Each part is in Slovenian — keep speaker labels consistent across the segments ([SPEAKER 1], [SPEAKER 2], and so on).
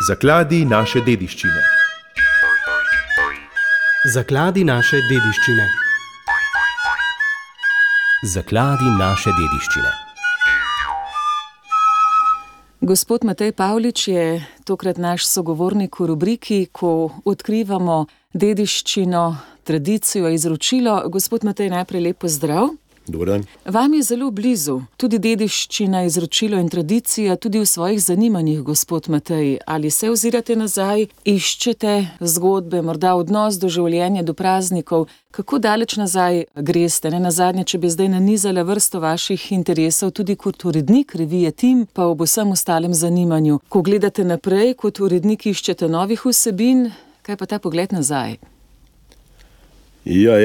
[SPEAKER 1] Zakladi naše dediščine.
[SPEAKER 2] Zakladi naše dediščine.
[SPEAKER 3] Zakladi naše dediščine.
[SPEAKER 4] Gospod Matej Pavlič je tokrat naš sogovornik v rubriki, ko odkrivamo dediščino, tradicijo, izročilo. Gospod Matej, najprej lep pozdrav.
[SPEAKER 5] Dober dan.
[SPEAKER 4] Vam je zelo blizu tudi dediščina, izročilo in tradicija, tudi v svojih zanimanjih, gospod Matej. Ali se ozirate nazaj, iščete zgodbe, morda odnos do življenja, do praznikov? Kako daleč nazaj greste? Nenazadnje, če bi zdaj nanizala vrsto vaših interesov, tudi kot urednik revije Tim, pa ob vsem ostalem zanimanju. Ko gledate naprej, kot urednik iščete novih vsebin, kaj pa ta pogled nazaj?
[SPEAKER 5] Ja,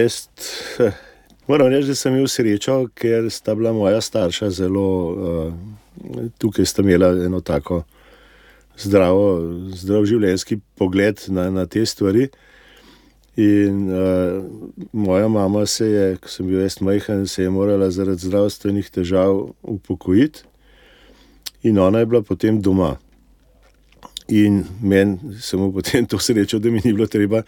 [SPEAKER 5] moram reči, da sem imel srečo, ker sta bila moja starša zelo, tukaj sta imela eno tako zdrav življenjski pogled na te stvari. In moja mama se je, ko sem bil jaz majhen, se je morala zaradi zdravstvenih težav upokojiti in ona je bila potem doma. In meni samo potem to srečo, da mi ni bilo treba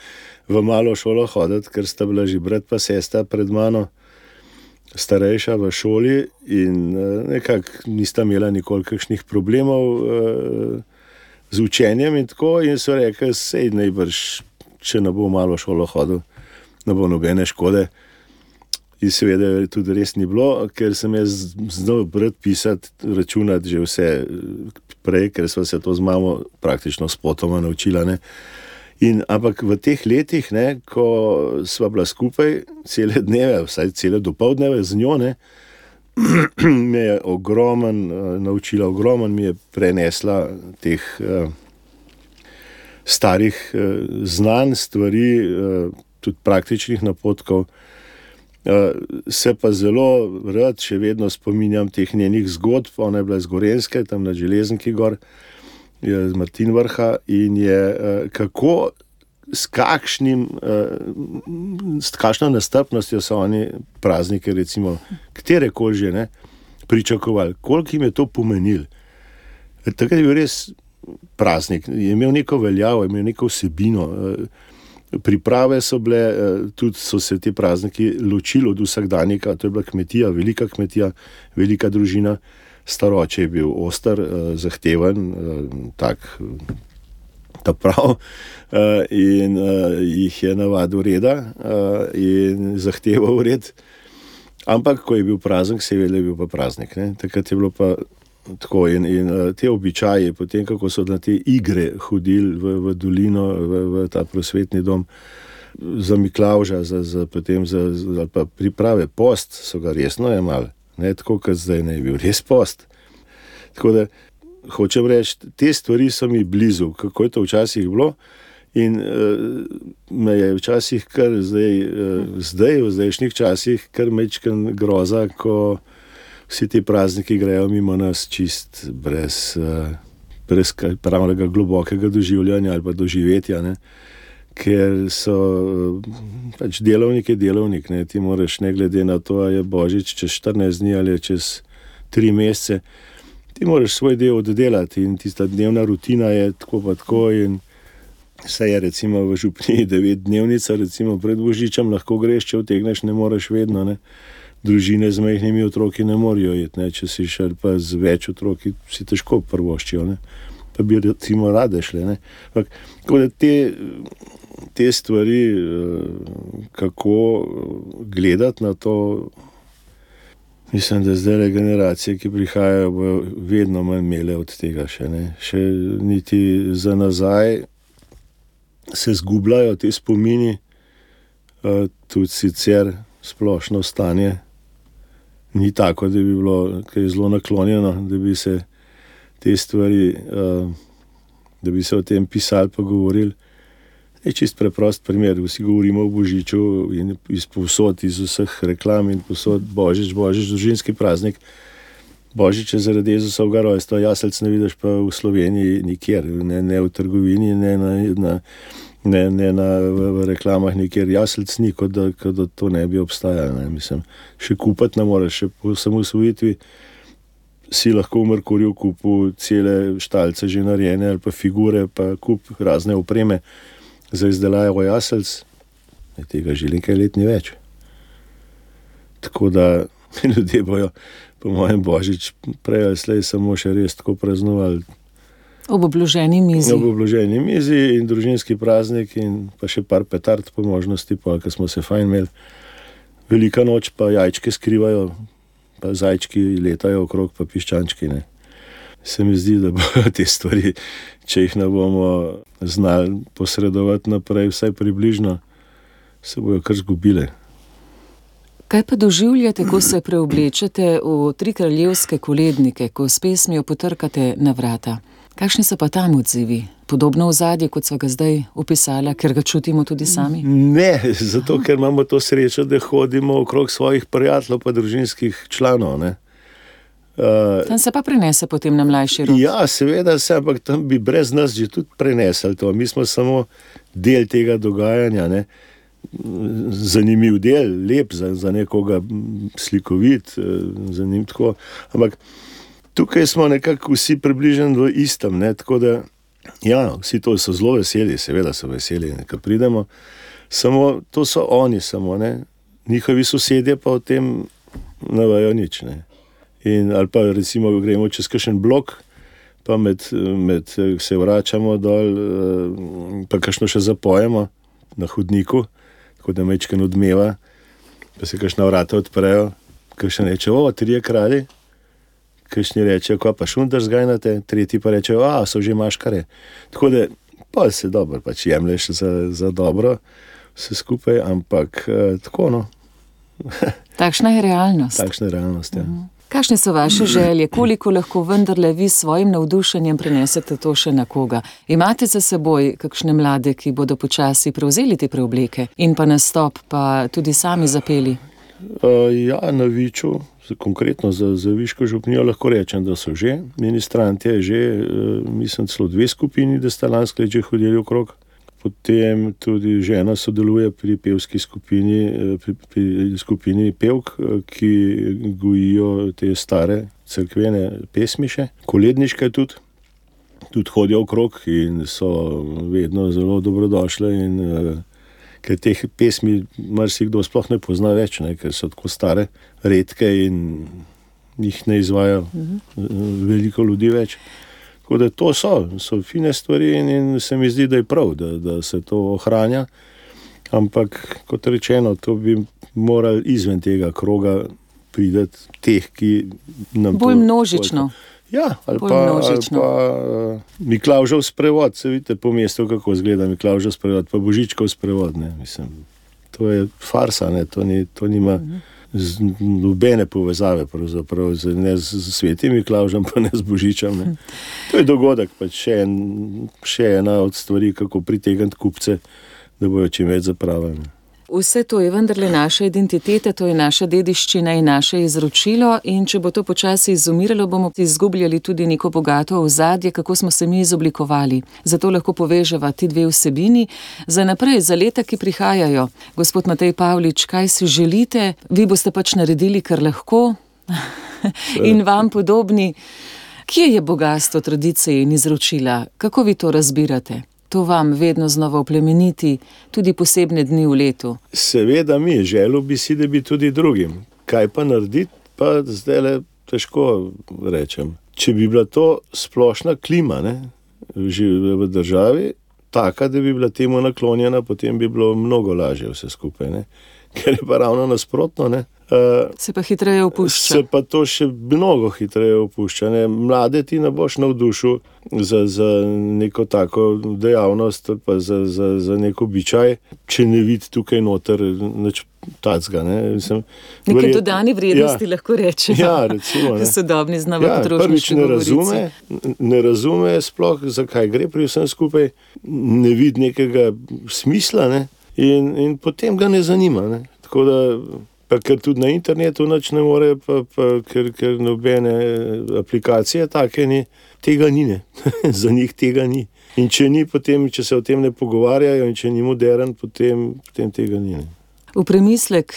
[SPEAKER 5] v malo šolo hoditi, ker sta bila že brat pa sestra pred mano, starejša v šoli in nekako nista imela nikoli kakšnih problemov z učenjem in tako, in so rekli, sej najbrž, če ne bo malo šolo hodil, ne bo nobene škode. In seveda tudi res ni bilo, ker sem jaz znal brati, pisati, računati že vse prej, ker sva se to z mamo praktično spotoma naučila. Ampak v teh letih, ko sva bila skupaj cele dneve, vsaj cele dopoldneve z njo, me je naučila, ogromno mi je prenesla teh starih znanj, stvari, tudi praktičnih napotkov. Se pa zelo rad še vedno spominjam teh njenih zgodb. Ona je bila iz Gorenjske, tam na Železniki gor, z Martinvrha, in je kako, s kakšno nestrpnostjo so oni praznike, recimo, katerekoli že, pričakovali, koliko jim je to pomenilo. Takrat je bil res praznik, je imel neko veljavo, je imel neko vsebino. Priprave so bile, tudi so se ti prazniki ločili od vsakdanjika. To je bila kmetija, velika družina. Staroče je bil oster, zahteven, tak ta prav, in jih je navadil reda in zahteval red. Ampak, ko je bil praznik, se je vedel, da je bil pa praznik. Takrat je bilo pa tako, in te običaje, potem kako so na te igre hodili v dolino, v ta prosvetni dom za Miklavža, potem ali pa priprave post, so ga resno jemali, tako kot zdaj ne je bil res post. Tako da hočem reči, te stvari so mi blizu, kako je to včasih bilo, in me je včasih kar zdaj v zdajšnjih časih kar mečken groza, ko vsi ti prazniki grejo mimo nas čist brez pravnega globokega doživljanja ali pa doživetja, ker so pač delovnik je delovnik, ti moraš, ne glede na to, a je Božič čez 14 dni ali čez 3 mesece, ti moraš svoj del oddelati in tista dnevna rutina je tako pa tako, in saj je recimo v župniji 9-dnevnica, recimo pred Božičem lahko greš, če utegneš, ne moreš vedno, Družine z majhnimi otroki ne morajo iti, če si šel pa z več otroki, si težko prvoščijo, pa bi recimo rade šle. Tako da te stvari, kako gledati na to, mislim, da zdaj generacije, ki prihajajo, bojo vedno manj imele od tega še. Še niti za nazaj se zgubljajo te spomini, tudi sicer splošno stanje ni tako, da bi bilo kaj zelo naklonjeno, da bi se te stvari, da bi se o tem pisali pa govorili. Je čist preprost primer, vsi govorimo o Božiču in iz vseh reklam in povsod Božič, družinski praznik. Božič je zaradi Jezusovega rojstva, jaselc ne vidiš pa v Sloveniji nikjer, ne v trgovini, ne v reklamah nikjer, jaselc ni, kot da to ne bi obstajalo. Mislim, še kupiti ne moreš, še po samosvojitvi si lahko v Merkurju kupil cele štalce že narejene ali pa figure, pa kup razne opreme za izdelavo jaselc. Tega že nekaj let ni več. Tako da ljudje bojo, po mojem, Božič prej ali slej samo še res tako praznovali.
[SPEAKER 4] Ob obloženi mizi.
[SPEAKER 5] Ob obloženi mizi in družinski praznik in pa še par petard po možnosti, pa ko smo se fajn imeli. Velika noč pa jajčke skrivajo, pa zajčki letajo okrog, pa piščančki, ne. Se mi zdi, da bojo te stvari, če jih ne bomo znali posredovati naprej, vsaj približno, se bojo kar zgubile.
[SPEAKER 4] Kaj pa doživljate, ko se preoblečete v tri kraljevske kolednike, ko s pesmijo potrkate na vrata? Kakšni so pa tam odzivi? Podobno ozadje, kot so ga zdaj opisala, ker ga čutimo tudi sami?
[SPEAKER 5] Ne, zato ker imamo to srečo, da hodimo okrog svojih prijateljev pa družinskih članov, ne.
[SPEAKER 4] Tam se pa prenese potem na mlajši rod.
[SPEAKER 5] Ja, seveda se, ampak tam bi brez nas že tudi prenesli to. Mi smo samo del tega dogajanja, ne. Zanimiv del, lep za nekoga, slikovit, zanimiv tako. Ampak tukaj smo nekako vsi približeni v istem, ne, tako da, ja, vsi to so zelo veseli, seveda so veseli, ko pridemo, samo to so oni samo, ne, njihovi sosedje pa o tem ne vejo nič, ne. In, ali pa recimo gremo čez kakšen blok, pa med se vračamo dol, pa kakšno še zapojemo na hodniku, tako da mečken odmeva, pa se kakšna vrata odprejo, kakšen reče, trije kralji, kakšni rečejo, ko pa šundar zgajnate, tretji pa rečejo, so že maškare. Tako da, pa se dobro, pač jemlješ za dobro vse skupaj, ampak tako, no.
[SPEAKER 4] Takšna je realnost.
[SPEAKER 5] Takšna je realnost, ja.
[SPEAKER 4] Kakšne so vaše želje? Koliko lahko vendarle vi s svojim navdušenjem prenesete to še na koga? Imate za seboj kakšne mlade, ki bodo počasi prevzeli te preobleke in pa nastop, pa tudi sami zapeli?
[SPEAKER 5] Ja, na Viču, konkretno za Viško župnijo lahko rečem, da so že. Ministrantje je že, mislim, celo 2 skupini, da sta lansko let že hodili okrog. Potem tudi žena sodeluje pri pevski skupini, pri skupini pevk, ki gojijo te stare cerkvene pesmiše. Koledniške tudi hodijo okrog in so vedno zelo dobrodošle in ker teh pesmi marsikdo sploh ne pozna več, ne, ker so tako stare, redke in jih ne izvaja veliko ljudi več. Tako da to so fine stvari in se mi zdi, da je prav, da se to ohranja, ampak kot rečeno, to bi morali izven tega kroga prideti teh, ki nam
[SPEAKER 4] bolj množično.
[SPEAKER 5] Ja, ali pa Miklavžev sprevod, se vidite po mestu, kako izgleda Miklavžev sprevod, pa Božičkov sprevod, ne, mislim, to je farsa, ne, to nima nobene povezave pravzaprav, ne z Svetim Miklavžem, pa ne z Božičem, ne. To je dogodek, pač še ena od stvari, kako pritegniti kupce, da bojo čim več zapravili.
[SPEAKER 4] Vse to je vendarle naša identiteta, to je naša dediščina in naše izročilo in če bo to počasi izumiralo, bomo izgubljali tudi neko bogato ozadje, kako smo se mi izoblikovali. Zato lahko poveževa ti dve vsebini za naprej, za leta, ki prihajajo. Gospod Matej Pavlič, kaj si želite? Vi boste pač naredili, kar lahko in vam podobni. Kje je bogastvo tradicije in izročila? Kako vi to razbirate? To vam vedno znova oplemeniti, tudi posebne dni v letu.
[SPEAKER 5] Seveda mi, želel bi si, da bi tudi drugim. Kaj pa narediti, pa zdajle težko rečem. Če bi bila to splošna klima, ne, v državi, taka, da bi bila temu naklonjena, potem bi bilo mnogo lažje vse skupaj, ne. Ker je pa ravno nasprotno, ne.
[SPEAKER 4] Se pa hitreje opušča.
[SPEAKER 5] Se pa to še mnogo hitreje opušča, ne. Mlade ti ne boš navdušil za neko tako dejavnost, pa za nek običaj, če ne vidi tukaj noter nič tacga, ne.
[SPEAKER 4] Neke dodane vrednosti, lahko rečemo.
[SPEAKER 5] Ja, recimo, ne.
[SPEAKER 4] Sodobni znova potrošniški govorici.
[SPEAKER 5] Ne razume sploh, zakaj gre pri vsem skupaj, ne vidi nekega smisla, ne. In potem ga ne zanima, ne. Tako da, pa ker tudi na internetu nič ne more, ker nobene aplikacije take ni, tega ni, ne. Za njih tega ni. In če ni, potem, če se o tem ne pogovarjajo in če ni modern, potem tega ni, ne.
[SPEAKER 4] V premislek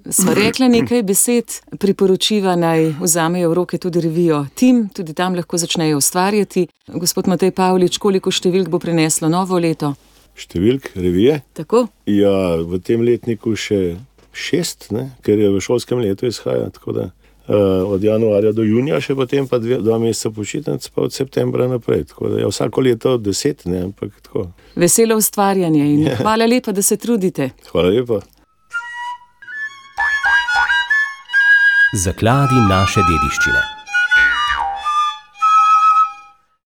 [SPEAKER 4] sva rekla nekaj besed, priporočiva naj vzamejo v roke tudi revijo Tim, tudi tam lahko začnejo ustvarjati. Gospod Matej Pavlič, koliko številk bo prineslo novo leto?
[SPEAKER 5] Številk revije?
[SPEAKER 4] Tako?
[SPEAKER 5] Ja, v tem letniku še 6, ker je v šolskem letu izhaja, tako da od januarja do junija, še potem pa 2 meseca počitnic, pa od septembra naprej. Tako da je vsako leto 10, ampak tako.
[SPEAKER 4] Veselo ustvarjanje in hvala lepa, da se trudite.
[SPEAKER 5] Hvala lepa.
[SPEAKER 3] Zakladi naše dediščine.